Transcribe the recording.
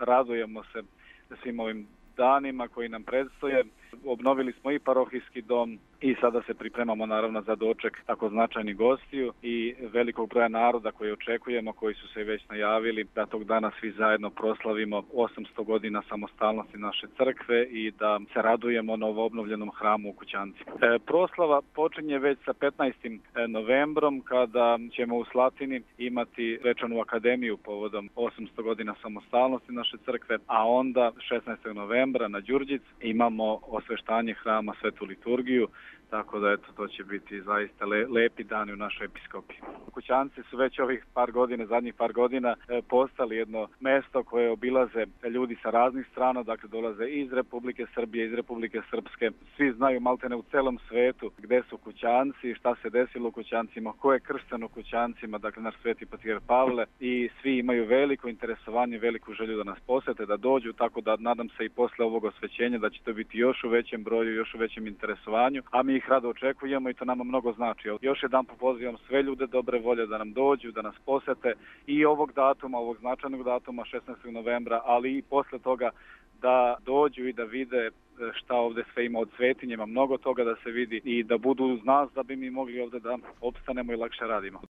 radujemo se svim ovim danima koji nam predstoje. Obnovili smo i parohijski dom i sada se pripremamo naravno za doček tako značajnih gostiju i velikog broja naroda koji očekujemo, koji su se već najavili da tog dana svi zajedno proslavimo 800 godina samostalnosti naše crkve i da se radujemo novoobnovljenom hramu u Kućanci. Proslava počinje već sa 15. novembrom kada ćemo u Slatini imati svečanu akademiju povodom 800 godina samostalnosti naše crkve, a onda 16. novembra na Đurđic imamo osveštanje hrama, svetu liturgiju, tako da eto, to će biti zaista lepi dani u našoj episkopiji. Kućanci su već ovih zadnjih par godina postali jedno mesto koje obilaze ljudi sa raznih strana, dakle dolaze iz Republike Srbije, iz Republike Srpske. Svi znaju maltene u celom svetu gde su Kućanci, šta se desilo u Kućancima, ko je kršten u Kućancima, dakle naš sveti patrijarh Pavle, i svi imaju veliko interesovanje, veliku želju da nas posete, da dođu, tako da nadam se i posle ovog osvećenja da će to biti još u većem broju, još u većem interesovanju, a mi ih rado očekujemo i to nama mnogo znači. Još jedan pozivam sve ljude dobre volje da nam dođu, da nas posete i ovog značajnog datuma 16. novembra, ali i posle toga da dođu i da vide šta ovde sve ima od svetinje, ima mnogo toga da se vidi i da budu uz nas da bi mi mogli ovde da opstanemo i lakše radimo.